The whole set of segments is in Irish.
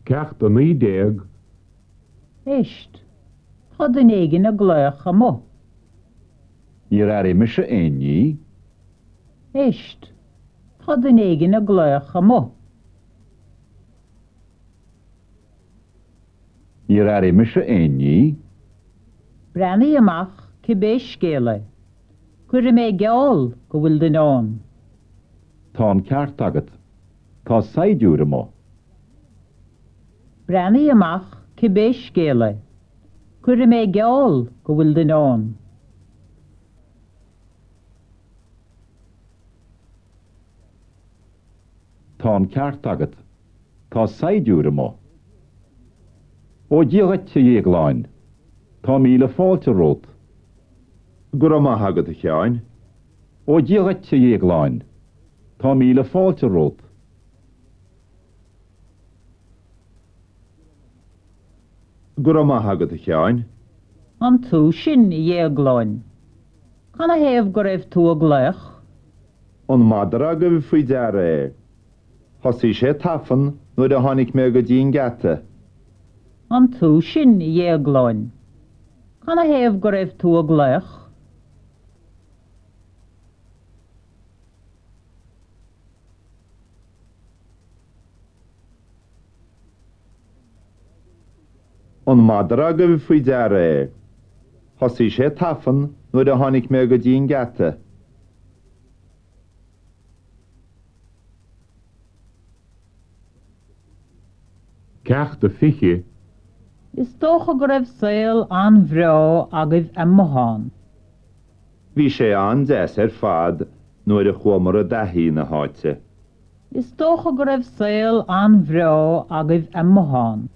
Ceacht 19. Éist, tá duine éigin ag glaoch amuigh. Níor airigh mise aon ní. Éist, tá duine éigin ag glaoch amuigh. Níor airigh mise aon ní. Breathnaigh amach cibé scéal é. Cuirfidh mé geall go bhfuil duine ann. Tá an ceart agat. Tá saighdiúir amuigh. Breathnaigh amach cibé scéal é. Cuirfidh mé geall go bhfuil duine ann. Tá an ceart agat. Tá saighdiúir amuigh. Ó Dia dhuit, a Dhéagláin. Tá míle fáilte romhat. Go raibh maith agat, a Sheáin. Ó Dia dhuit, a Dhéagláin. Tá míle fáilte romhat. Go raibh maith agat, a Sheáin. An tú sin, a Dhéagláin? Canathaobh go raibh tú ag glaoch? An madra agaibh faoi deara é? Thosaigh sé tafann nuair a tháinig mé go dtí an geata. An tú sin, a Dhéagláin? Canathaobh go raibh tú ag glaoch? An madra agaibh faoi deara é? Thosaigh sé tafann nuair a tháinig mé go dtí an geata. Ceacht 20. Is dócha go raibh saol an-bhreá agaibh amuigh ann. Bhí sé an-deas ar fad nuair a chuamar i dtaithí na háite. Is dócha go raibh saol an-bhreá agaibh amuigh ann.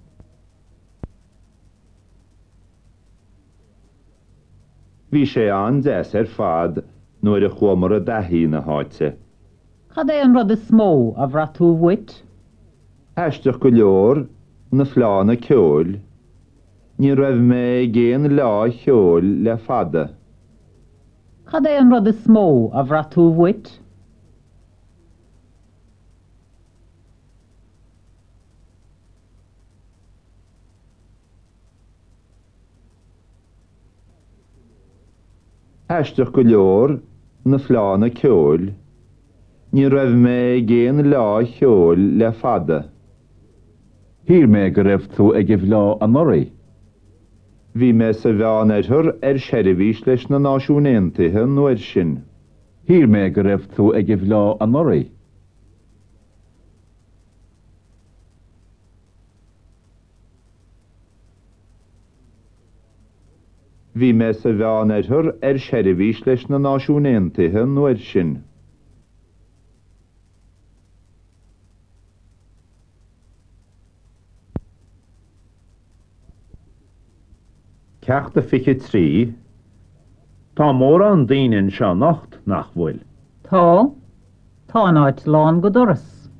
Bhí sé an-deas ar fad nuair a chuamar i dtaithí na háite. Cad é an rud is mó a bhraith tú uait? Aisteach go leor, na fleánna ceoil. Ní raibh mé ag aon fhleá cheoil le fada. Cad é an rud is mó a bhraith tú uait? Aisteach go leor, na fleánna ceoil. Ní raibh mé ag aon fhleá cheoil le fada. Shíl mé go raibh tú ag an bhfleá anuraidh. Bhí mé sa Mheánoirthear ar seirbhís leis na Náisiúin Aontaithe an uair sin. Shíl mé go raibh tú ag an bhfleá anuraidh. Bhí mé sa Mheánoirthear ar seirbhís leis na Náisiúin Aontaithe an uair sin. Ceacht a 23. Tá mórán daoine anseo anocht, nach bhfuil? Tá. Tá an áit lán go doras.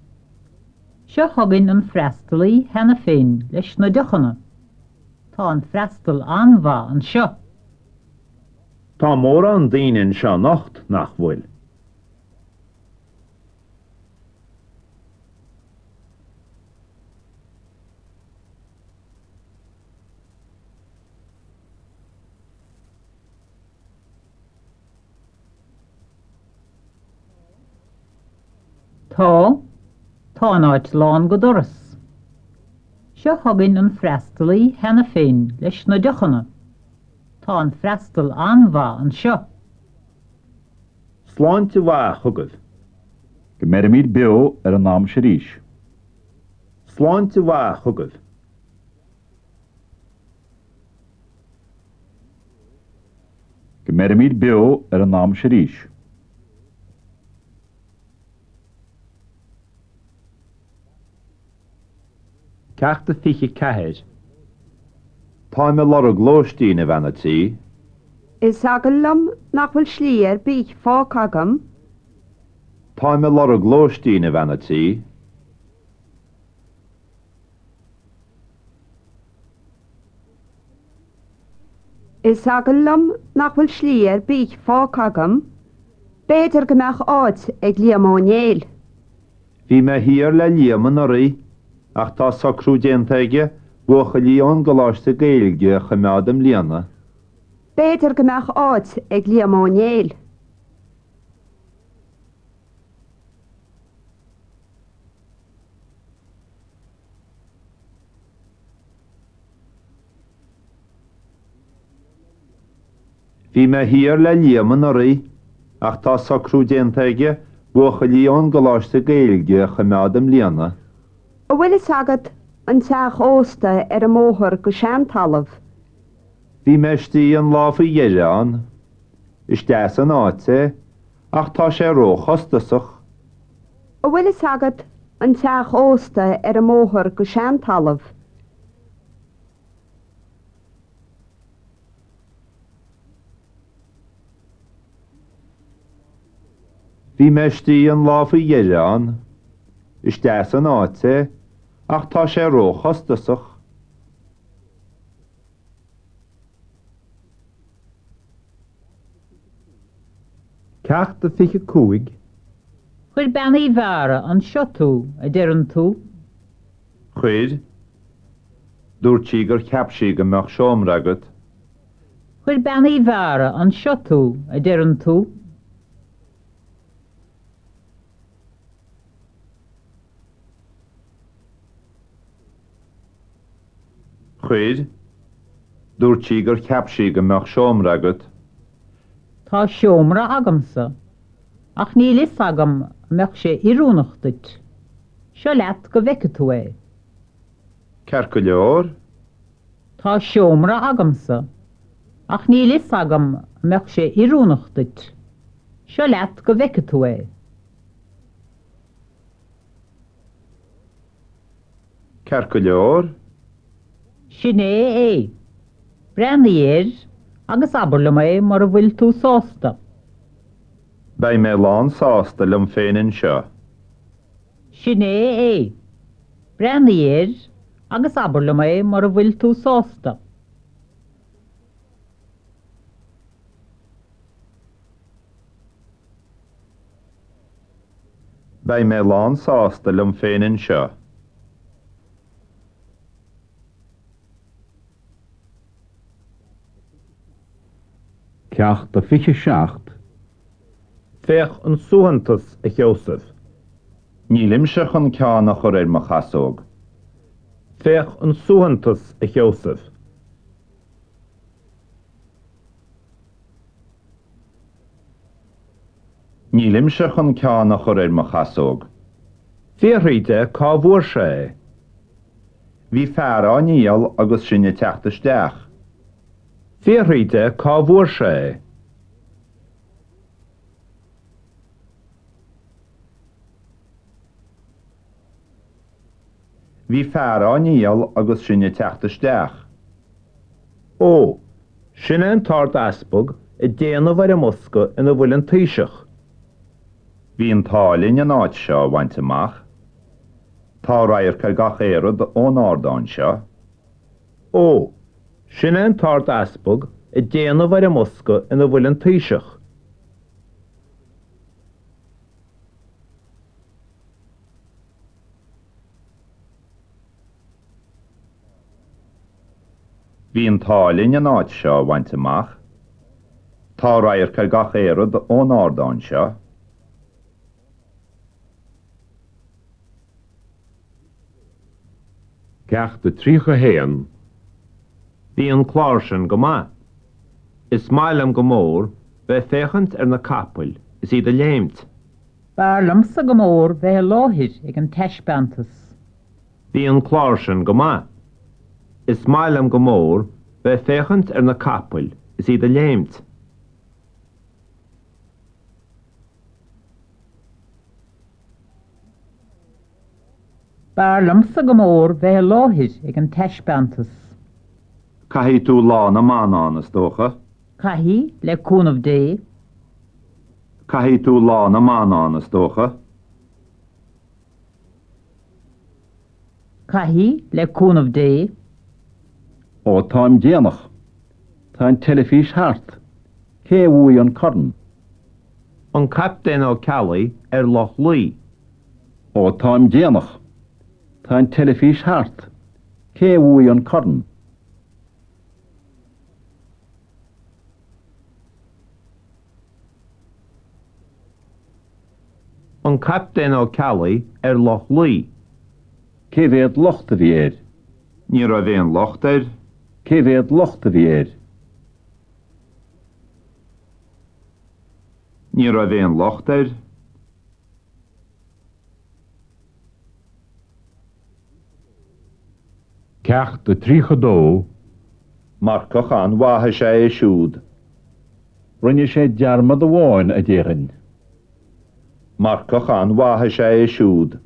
Seo chugainn an freastalaí cheana féin leis na deochanna. Tá an freastal an-mhaith anseo. Tá mórán daoine anseo anocht, nach bhfuil? Tá. Tá an áit lán go doras. Seo chugainn an freastalaí cheana féin leis na deochanna. Tá an freastal an-mhaith anseo. Sláinte mhaith chugaibh. Go mbeirimid beo ar an am seo arís. Sláinte mhaith chugaibh. Go mbeirimid beo ar an am seo arís. Ceacht a 24. Táim ag lorg lóistín, a bhean a' tí. Is eagal liom nach bhfuil slí ar bith fágtha agam. Táim ag lorg lóistín, a bhean a' tí. Is eagal liom nach bhfuil slí ar bith fágtha agam. B'fhéidir go mbeadh áit ag Liam Ó Néill. Bhí mé thiar le Liam anuraidh. Ach tá socrú déanta aige buachaillí ón gColáiste Gaeilge a choimeád i mbliana. B'fhéidir go mbeadh áit ag Liam Ó Néill. Bhí mé thiar le Liam anuraidh ach tá socrú déanta aige buachaillí ón gColáiste Gaeilge a choimeád i mbliana. An bhfuil fhios agat an teach ósta ar an mbóthar go Seantalamh? Bhí mé istigh an lá faoi dheireadh ann. Is deas an áit é ach tá sé róchostasach. An bhfuil fhios agat an teach ósta ar an mbóthar go Seantalamh? Bhí mé istigh an lá faoi dheireadh ann. Is deas an áit é, ach tá sé róchostasach. Ceacht a 25. Chuir Bean Uí Mheára anseo tú, a deireann tú? Chuir. Dúirt sí gur cheap sí go mbeadh seomra agat. Chuir Bean Uí Mheára anseo tú, a deireann tú? Chuir. Dúirt sí gur cheap sí go mbeadh seomra agat. Tá seomra agamsa, ach níl fhios agam an mbeadh sé oiriúnach duit. Seo leat go bhfeice tú é. Ceart go leor. Tá seomra agamsa, ach níl fhios agam an mbeadh sé oiriúnach duit. Seo leat go bhfeice tú é. Ceart go leor. Sin é é. Breathnaigh air agus abair liom é mura bhfuil tú sásta. Beidh mé lán sásta liom féin anseo. Sin é é. Breathnaigh air agus abair liom é mura bhfuil tú sásta. Beidh mé lán sásta liom féin anseo. Ceacht a 27. Féach an suaitheantas, a Sheosaimh. Nílimse chun ceann a chur ar mo chasóg. Féach an suaitheantas, a Sheosaimh. Nílimse chun ceann a chur ar mo chasóg. Fiafraigh de cá bhfuair sé é. Bhí fear á ndíol agus sinn ag teacht isteach. Fiafraigh de cá bhfuair sé é. Bhí fear á ndíol agus sinn ag teacht isteach. Ó, sin é an tArd-Easpag ag déanamh ar an mbosca ina bhfuil an Taoiseach. Bhí an t-ádh linn an áit seo a bhaint amach. Tá radharc ar gach aon rud ón ardán seo. Ó, sin é an tArd-Easpag ag déanamh ar an mbosca ina bhfuil an Taoiseach. Bhí an t-ádh linn an áit seo a bhaint amach. Tá radharc ar gach aon rud ón ardán seo. Ceacht a 31. Bhí an clár sin go maith. Is maith liom go mór bheith ag féachaint ar na capaill is iad ag léimt. B'fhearr liomsa go mór bheith i láthair ag an taispeántas. Bhí an clár sin go maith. Is maith liom go mór bheith ag féachaint ar na capaill is iad ag léimt. B'fhearr liomsa go mór bheith i láthair ag an taispeántas. Caithfidh tú Lá na mBan ann, is dócha? Caithfidh, le cúnamh Dé. Caithfidh tú Lá na mBan ann, is dócha? Caithfidh, le cúnamh Dé. Ó, táim déanach. Tá an teilifís thart. Cé a bhuaigh an corn? An Captaen Ó Ceallaigh ar Loch Lao. Ó, táim déanach. Tá an teilifís thart. Cé a bhuaigh an corn? An Captaen Ó Ceallaigh ar Loch Lao. Cé mhéad locht a bhí air? Ní raibh aon locht air. Cé mhéad locht a bhí air? Ní raibh aon locht air. Ceacht 32. Marcach an-mhaith is ea é siúd. Rinne sé dearmad amháin, a déarfainn. Marcach an-mhaith is ea é siúd.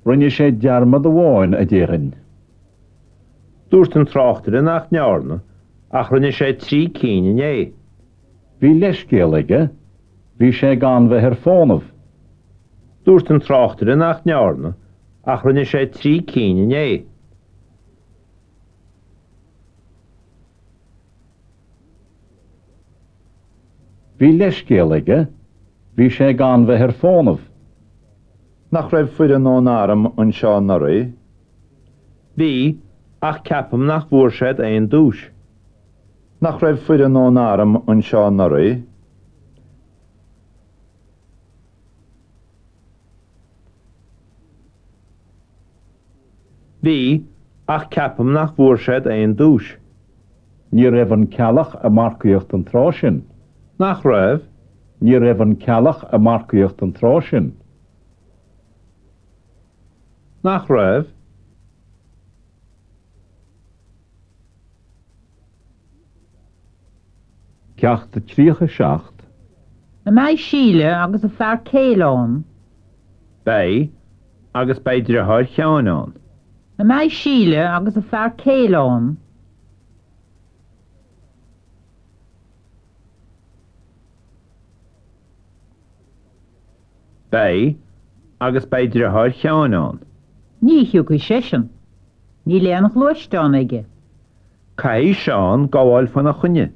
Rinne sé dearmad amháin, a déarfainn. Dúirt an tráchtaire nach ndearna, ach rinne sé trí cinn inné. Bhí leithscéal aige, bhí sé gan bheith ar fónamh. Dúirt an tráchtaire nach ndearna, ach rinne sé trí cinn inné. Bhí leithscéal aige, bhí sé gan bheith ar fónamh. Nach raibh foireann ón arm anseo anuraidh? Bhí, ach ceapaim nach bhfuair siad aon duais. Nach raibh foireann ón arm anseo anuraidh? Bhí, ach ceapaim nach bhfuair siad aon duais. Ní raibh an Ceallach ag marcaíocht an tráth sin. Nach raibh? Ní raibh an Ceallach ag marcaíocht an tráth sin. Nach raibh? Ceacht 37. An mbeidh Síle agus a fear céile ann? Beidh, agus beidh driotháir Sheáin ann. An mbeidh Síle agus a fear céile ann? Beidh, agus beidh driotháir Sheáin ann. Ní thiocfaidh seisean. Níl aon ghluaisteán aige. Caithfidh Seán gabháil faoina choinne.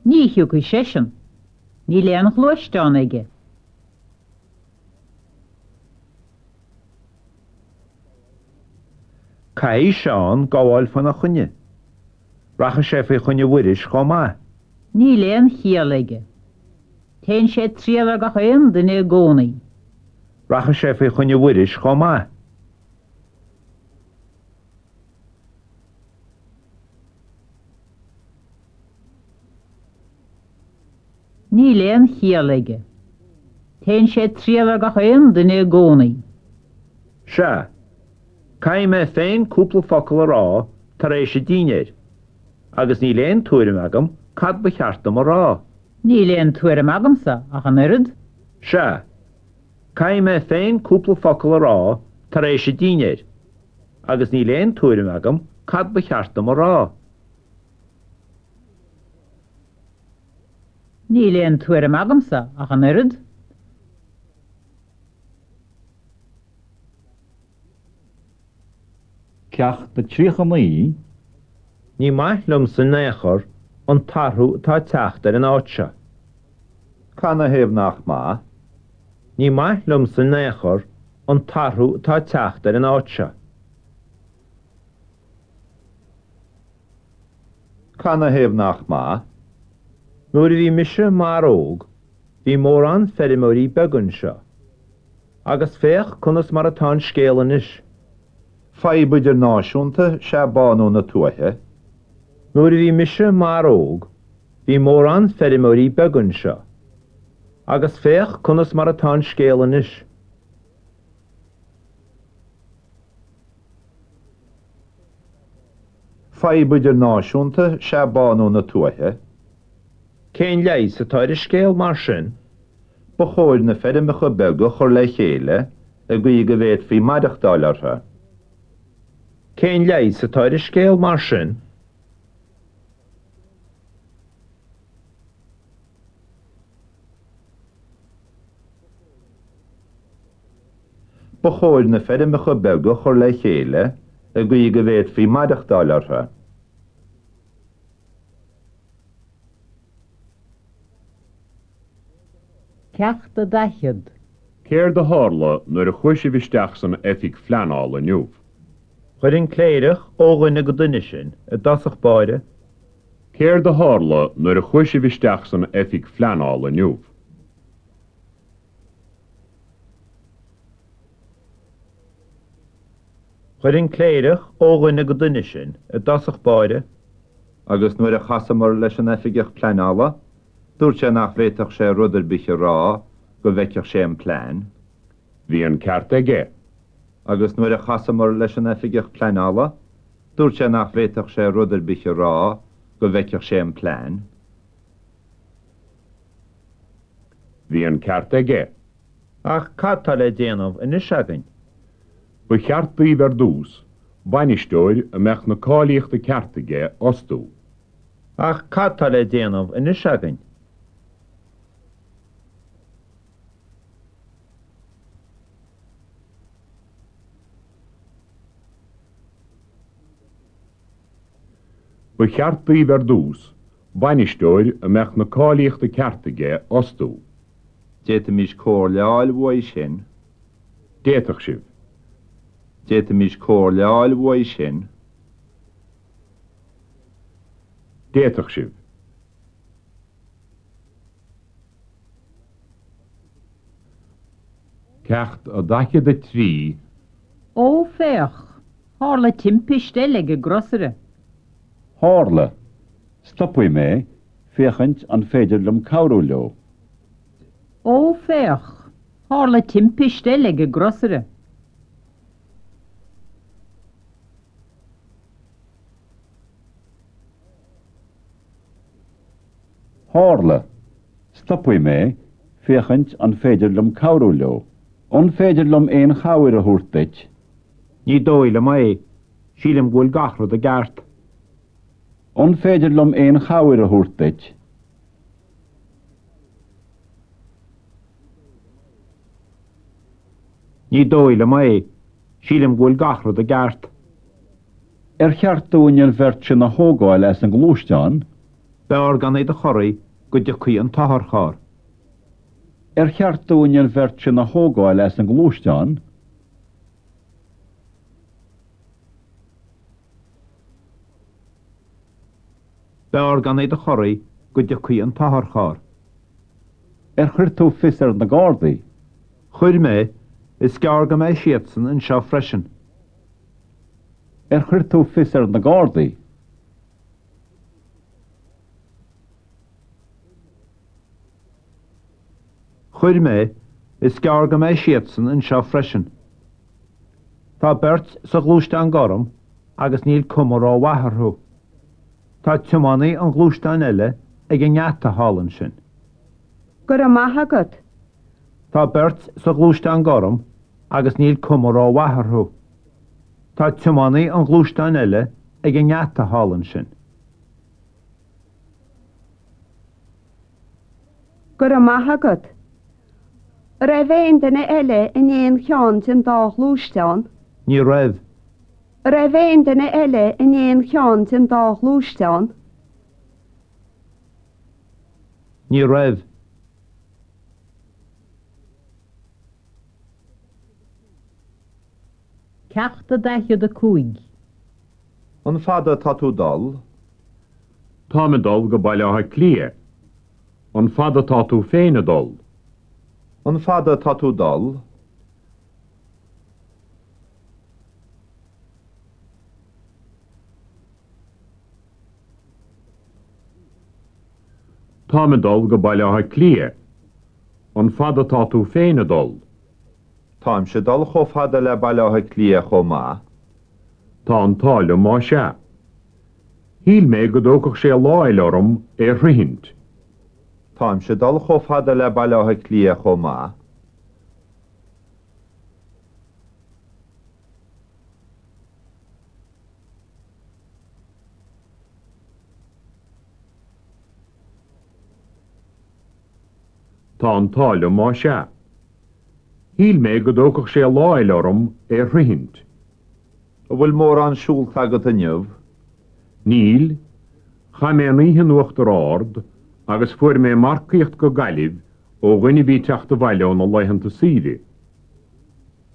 Ní thiocfaidh seisean. Níl aon ghluaisteán aige. Caithfidh Seán gabháil faoina choinne. Rachaidh sé faoi choinne Mhuiris chomh maith. Níl aon chiall aige. Téann sé ag triall ar gach aon duine i gcónaí. Rachaidh sé faoi choinne Mhuiris chomh maith. Níl aon chiall aige. Téann sé ag triall ar gach aon duine i gcónaí. Sea. Caithfidh mé féin cúpla focal a rá tar éis an dinnéir, agus níl aon tuairim agam cad ba cheart dom a rá. Níl aon tuairim agamsa ach an oiread. Sea. Caithfidh mé féin cúpla focal a rá tar éis an dinnéir, agus níl aon tuairim agam cad ba cheart dom a rá. Níl aon tuairim agamsa ach an oiread. Ceacht 39. Ní maith liomsa in aon chor an t-athrú atá ag teacht ar an áit seo. Canathaobh nach maith? Ní maith liomsa in aon chor an t-athrú atá ag teacht ar an áit seo. Canathaobh nach maith? Nuair a bhí mise mar óg bhí mórán feirmeoirí beaga anseo. Agus féach conas mar atá an scéal anois. Fadhb idirnáisiúnta is ea bánú na tuaithe. Nuair a bhí mise mar óg bhí mórán feirmeoirí beaga anseo. Agus féach conas mar atá an scéal anois. Fadhb idirnáisiúnta is ea bánú na tuaithe. Cén leigheas atá ar an scéal mar sin? Ba chóir na feirmeacha beaga a chur le chéile i gcaoi go bhféadfaí maireachtáil orthu. Cén leigheas atá ar an scéal mar sin? Ba chóir na feirmeacha beaga a chur le chéile i gcaoi go bhféadfaí maireachtáil orthu. Ceacht 40. Céard a tharla nuair a chuaigh sibh isteach san oifig phleanála inniu? Chuir an cléireach ó dhuine go duine sinn i dtosach báire. Céard a tharla nuair a chuaigh sibh isteach san oifig phleanála inniu? Chuir an cléireach ó dhuine go duine sinn i dtosach báire. Agus nuair a chasamar leis an oifigeach pleanála, dúirt sé nach bhféadfadh sé rud ar bith a rá go bhfeicfeadh sé an plean. Bhí an ceart aige. Agus nuair a chasamar leis an oifigeach pleanála, dúirt sé nach bhféadfadh sé rud ar bith a rá go bhfeicfeadh sé an plean. Bhí an ceart aige. Ach cad tá le déanamh anois againn? Ba cheart daoibh ar dtús bainisteoir a mbeadh na cáilíochta ceart aige a fhostú. Ach cad tá le déanamh anois againn? Ba cheart daoibh ar dtús bainisteoir a mbeadh na cáilíochta ceart aige a fhostú. D'fhéadfaimis comhairle a fháil uaidh sin. D'fhéadfadh sibh. D'fhéadfaimis comhairle a fháil uaidh sin. D'fhéadfadh sibh. Ceacht 43. Ó, féach! Tharla timpist eile ag an gcrosaire. Tharla. Stopfaidh mé, féachaint an féidir liom cabhrú leo. Ó, féach! Tharla timpist eile ag an gcrosaire. Tharla. Stopfaidh mé, féachaint an féidir liom cabhrú leo. An féidir liom aon chabhair a thabhairt duit? Ní dóigh liom é. Sílim go bhfuil gach rud i gceart. An féidir liom aon chabhair a thabhairt duit? Ní dóigh liom é. Sílim go bhfuil gach rud i gceart. Ar cheart dúinn an bheirt sin a thógáil as an ngluaisteán? B'fhearr gan iad a chorraí go dtiocfaidh an t-otharcharr. Ar cheart dúinn an bheirt sin a thógáil as an ngluaisteán? B'fhearr gan iad a chorraí go dtiocfaidh an t-otharcharr. Ar chuir tú fios ar na Gardaí? Chuir mé, is gearr go mbeidh siadsan anseo freisin. Ar chuir tú fios ar na Gardaí? Chuir mé, is gearr go mbeidh siadsan anseo freisin. Tá beirt sa ghluaisteán gorm agus níl cuma rómhaith orthu. Tá tiománaí an ghluaisteáin eile ag an ngeata thall ansin. Go raibh maith agat. Tá beirt sa ghluaisteán gorm agus níl cuma rómhaith orthu. Tá tiománaí an ghluaisteáin eile ag an ngeata thall ansin. Go raibh maith agat. An raibh aon duine eile in aon cheann den dá ghluaisteán? Ní raibh. An raibh aon duine eile in aon cheann den dá ghluaisteán? Ní raibh. Ceacht 45. An fada atá tú dul? Táim ag dul go Baile Átha Cliath. An fada atá tú féin ag dul? An fada atá tú dul? Táim ag dul go Baile Átha Cliath. An fada atá tú féin ag dul? Táimse ag dul chomh fada le Baile Átha Cliath chomh maith. Tá an t-ádh liom más ea. Shíl mé go dtógfadh sé lá eile orm é a shroichint. Táimse ag dul chomh fada le Baile Átha Cliath chomh maith. Tá an t-ádh liom más ea. Shíl mé go dtógfadh sé lá eile orm é a shroichint. An bhfuil mórán siúlta agat inniu? Níl. Chaith mé an oíche in Uachtar Ard agus fuair mé marcaíocht go Gaillimh Ó dhuine a bhí ag teacht abhaile óna laethanta saoire.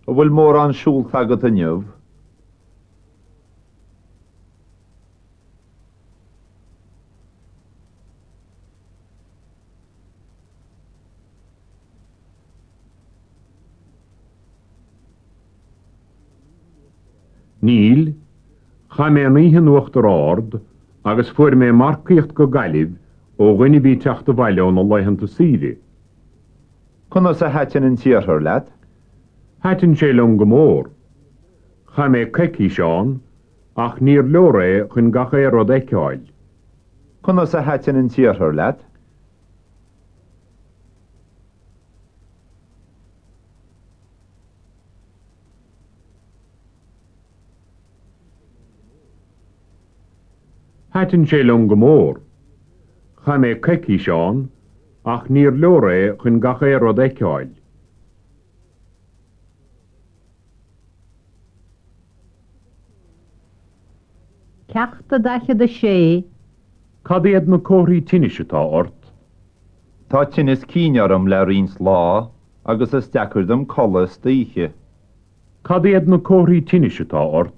An bhfuil mórán siúlta agat inniu? Níl. Chaith mé an oíche in Uachtar Ard agus fuair mé marcaíocht go Gaillimh ó dhuine a bhí ag teacht abhaile óna laethanta saoire. Conas a thaitin an t-iarthar leat? Thaitin sé liom go mór. Chaith mé coicís ann ach níor leor é chun gach aon rud a fheiceáil. Conas a thaitin an t-iarthar leat? Thaitin sé liom go mór. Chaith mé coicís ann ach níor leor é chun gach aon rud a fheiceáil. Ceacht a 46. Cad iad na comharthaí tinnis atá ort? Tá tinneas cinn orm le roinnt lá agus is deacair dom codladh istoíche. Cad iad na comharthaí tinnis atá ort?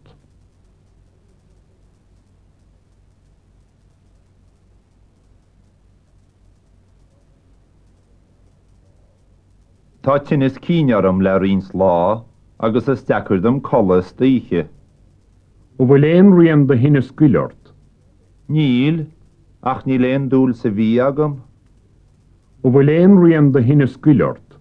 Tá tinneas cinn orm le roinnt lá agus is deacair dom codladh istoíche. An bhfuil aon rian de thinneas goil ort? Níl, ach níl aon dúil sa bhia agam. An bhfuil aon rian de thinneas goil ort?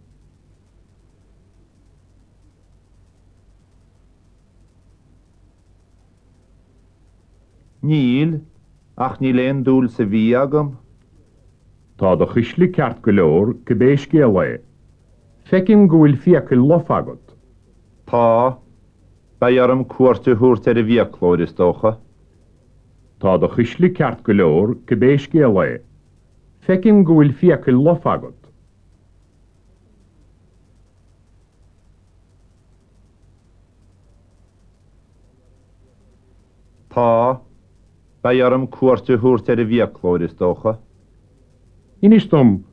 Níl, ach níl aon dúil sa bhia agam. Tá do chuisle ceart go leor, cibé scéal é. Feicim go bhfuil fiacail lofa agat. Tá. Beidh orm cuairt a thabhairt ar an bhfiaclóir, is dócha. Tá do chuisle ceart go leor, cibé scéal é. Feicim go bhfuil fiacail lofa agat. Tá. Beidh orm cuairt a thabhairt ar an bhfiaclóir, is dócha. Inis dom,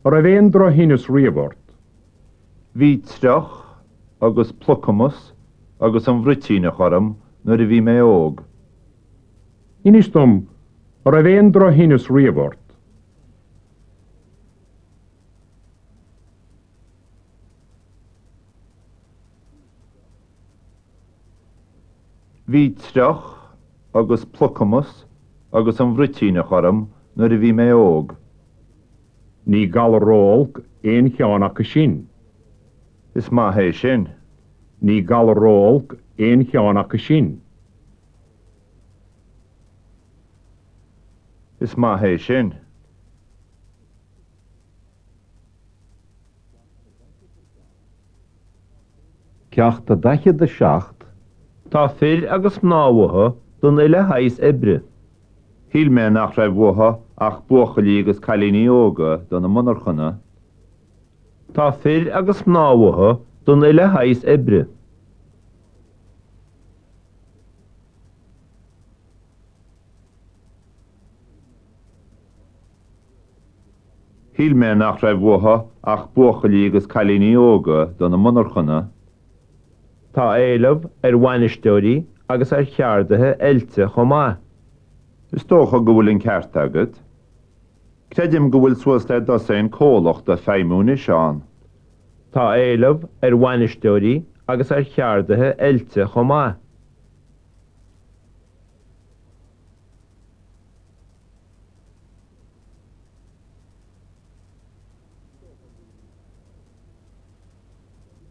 an raibh aon drochthinneas riamh ort? Bhí triuch agus plucamas agus an bhruitíneach orm nuair a bhí mé óg. Inis dom, an raibh aon drochthinneas riamh ort? Bhí triuch agus plucamas agus an bhruitíneach orm nuair a bhí mé óg. Ní galar ró-olc aon cheann acu sin. Is maith é sin. Ní galar ró-olc aon cheann acu sin. Is maith é sin. Ceacht 47. Tá fir agus mná uathu don uile shaghas oibre. Shíl mé nach raibh uathu ach buachaillí agus cailíní óga do na monarchana. Tá fir agus mná uathu don uile shaghas oibre. Shíl mé nach raibh uathu ach buachaillí agus cailíní óga do na monarchana. Tá éileamh ar bhainisteoirí agus ar cheardaithe oilte chomh maith. Is dócha go bhfuil an ceart agat. Creidim go bhfuil suas le dosaen comhlacht ag feidhmiú anois ann. Tá éileamh ar bhainisteoirí agus ar cheardaithe oilte chomh maith.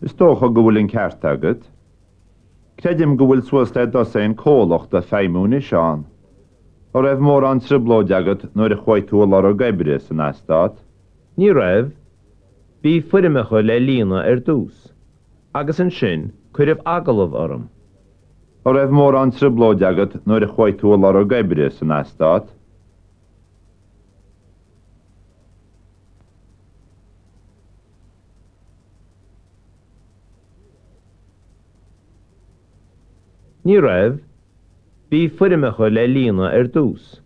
Is dócha go bhfuil an ceart agat. Creidim go bhfuil suas le dosaen comhlacht ag feidhmiú anois ann. An raibh mórán trioblóid agat nuair a chuaigh tú ag lorg oibre san eastát? Ní raibh. Bhí foirmeacha le líonadh ar dtús, agus ansin cuireadh agallamh orm. An raibh mórán trioblóid agat nuair a chuaigh tú ag lorg oibre san eastát? Ní raibh. Bhí foirmeacha le líonadh ar dtús,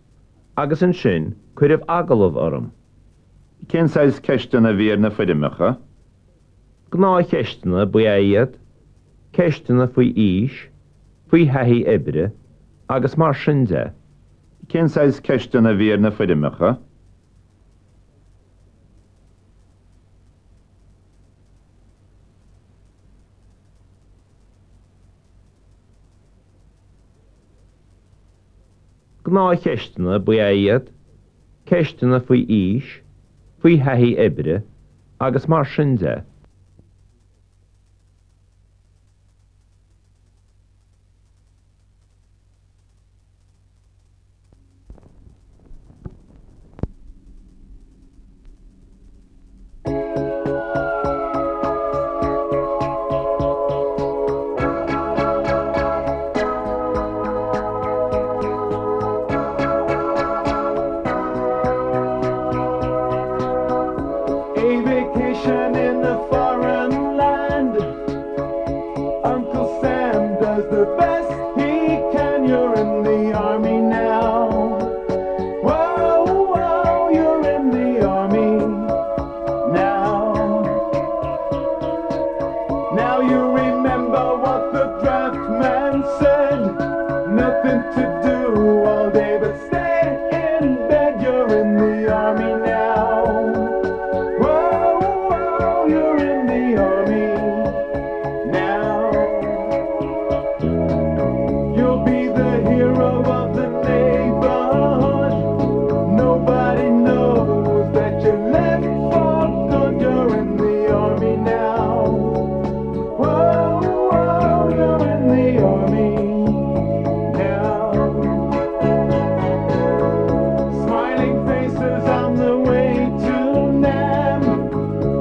agus ansin cuireadh agallamh orm. Cén saghas ceisteanna a bhí ar na foirmeacha? Gnáthcheisteanna ba ea iad, ceisteanna faoi aois, faoi thaithí oibre agus mar sin de. Cén saghas ceisteanna a bhí ar na foirmeacha? Gnáthcheisteanna ba ea iad, ceisteanna faoi aois, faoi thaithí oibre agus mar sin de. A vacation in a foreign land Uncle Sam does the best he can You're in the army now Whoa, whoa, you're in the army now Now you remember what the draft man said Nothing to do all day but stay in bed You're in the army now Whoa, whoa, you're in the army now You'll be the hero of the neighborhood Nobody knows that you left for good You're in the army now Whoa, whoa, you're in the army now Smiling faces on the way to Nam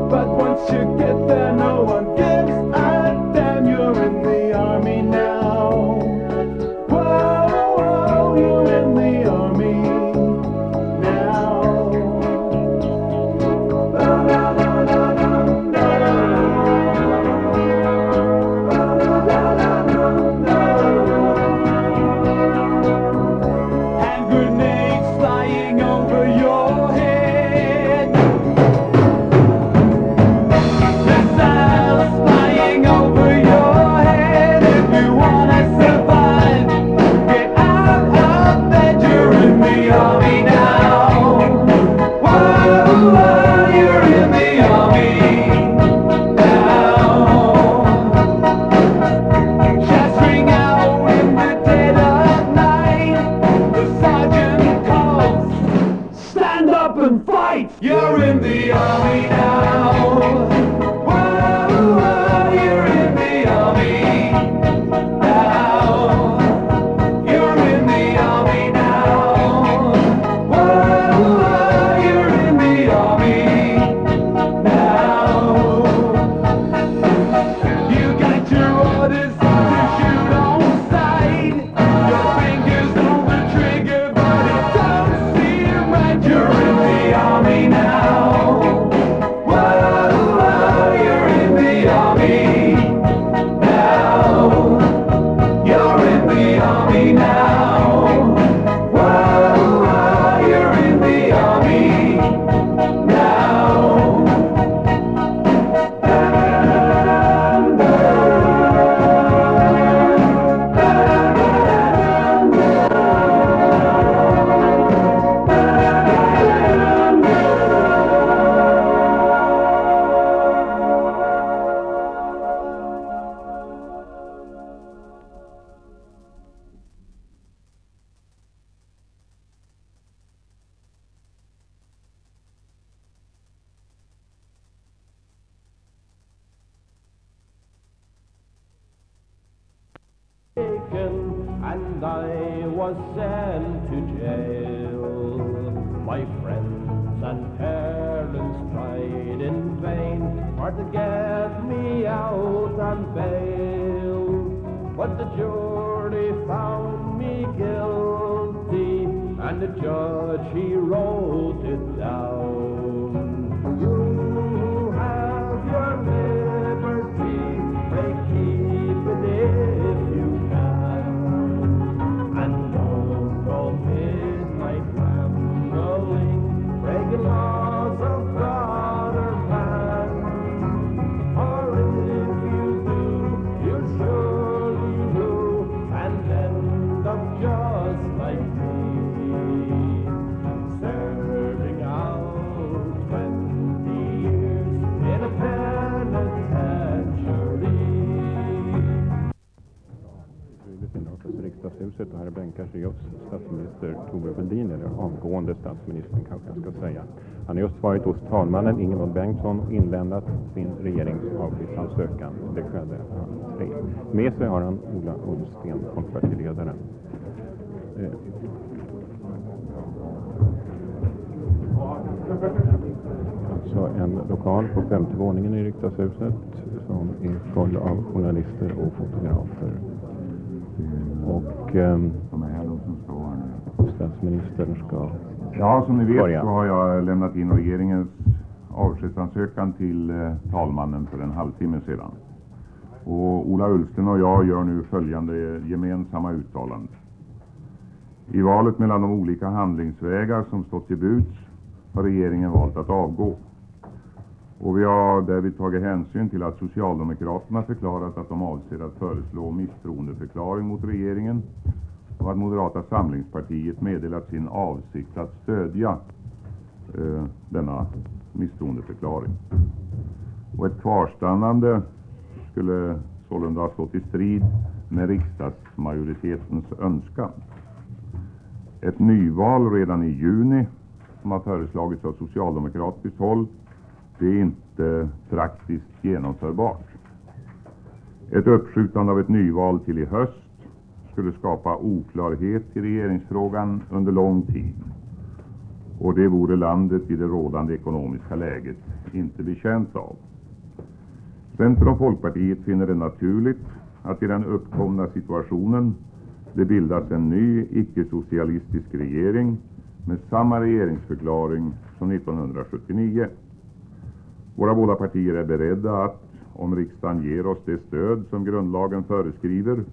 But once you get there no one gives a damn You're in the army now Whoa, whoa, you're in the army now Hand grenades flying over your head Missiles flying over your head If you wanna survive Get out of bed You're in the army now Whoa, whoa, you're in the army now Shots ring out in the dead of night The sergeant calls Stand up and fight! You're in the army now Whoa, whoa, you're in the army now You're in the army now Whoa, whoa, you're in the army now You got your orders to shoot on sight Your fingers on the trigger but it don't seem right You're in the army now Whoa, whoa, you're in the army now You're in the army now Whoa, whoa, you're in the army now And I was sent to jail. My friends and parents tried in vain for to get me out on bail. But the jury found me guilty, and the judge he wrote it down. You have your liberty, pray keep it if you can, and don't go midnight rambling, breaking laws of Statsminister Thorbjörn Fälldin, eller avgående statsministern kanske jag ska säga. Han har just varit hos talmannen Ingemund Bengtsson och inlämnat sin regerings avskedsansökan. Det skedde 2.30. Med sig har han Ola Ullsten, folkpartiledaren. Alltså en lokal på femte våningen i riksdagshuset som är full av journalister och fotografer. Och statsministern ska Ja, som ni vet börja. Så har jag lämnat in regeringens avskedsansökan till talmannen för en halvtimme sedan. Och Ola Ullsten och jag gör nu följande gemensamma uttalande. I valet mellan de olika handlingsvägar som stått till buds har regeringen valt att avgå. Och vi har därvid tagit hänsyn till att Socialdemokraterna förklarat att de avser att föreslå misstroendeförklaring mot regeringen och att Moderata samlingspartiet meddelat sin avsikt att stödja denna misstroendeförklaring. Och ett kvarstannande skulle sålunda ha stått i strid med riksdagsmajoritetens önskan. Ett nyval redan i juni, som har föreslagits av socialdemokratiskt håll, det är inte praktiskt genomförbart. Ett uppskjutande av ett nyval till i höst skulle skapa oklarhet i regeringsfrågan under lång tid. Och det vore landet i det rådande ekonomiska läget inte betjänt av. Centern och Folkpartiet finner det naturligt att i den uppkomna situationen det bildas en ny icke-socialistisk regering med samma regeringsförklaring som 1979. Våra båda partier är beredda att, om riksdagen ger oss det stöd som grundlagen föreskriver,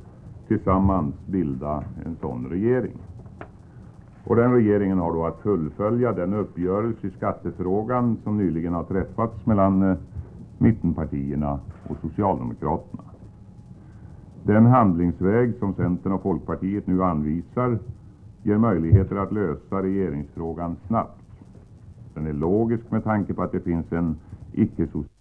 tillsammans bilda en sån regering. Och den regeringen har då att fullfölja den uppgörelse i skattefrågan som nyligen har träffats mellan mittenpartierna och Socialdemokraterna. Den handlingsväg som Centern och Folkpartiet nu anvisar ger möjligheter att lösa regeringsfrågan snabbt. Den är logisk med tanke på att det finns en icke-socialistisk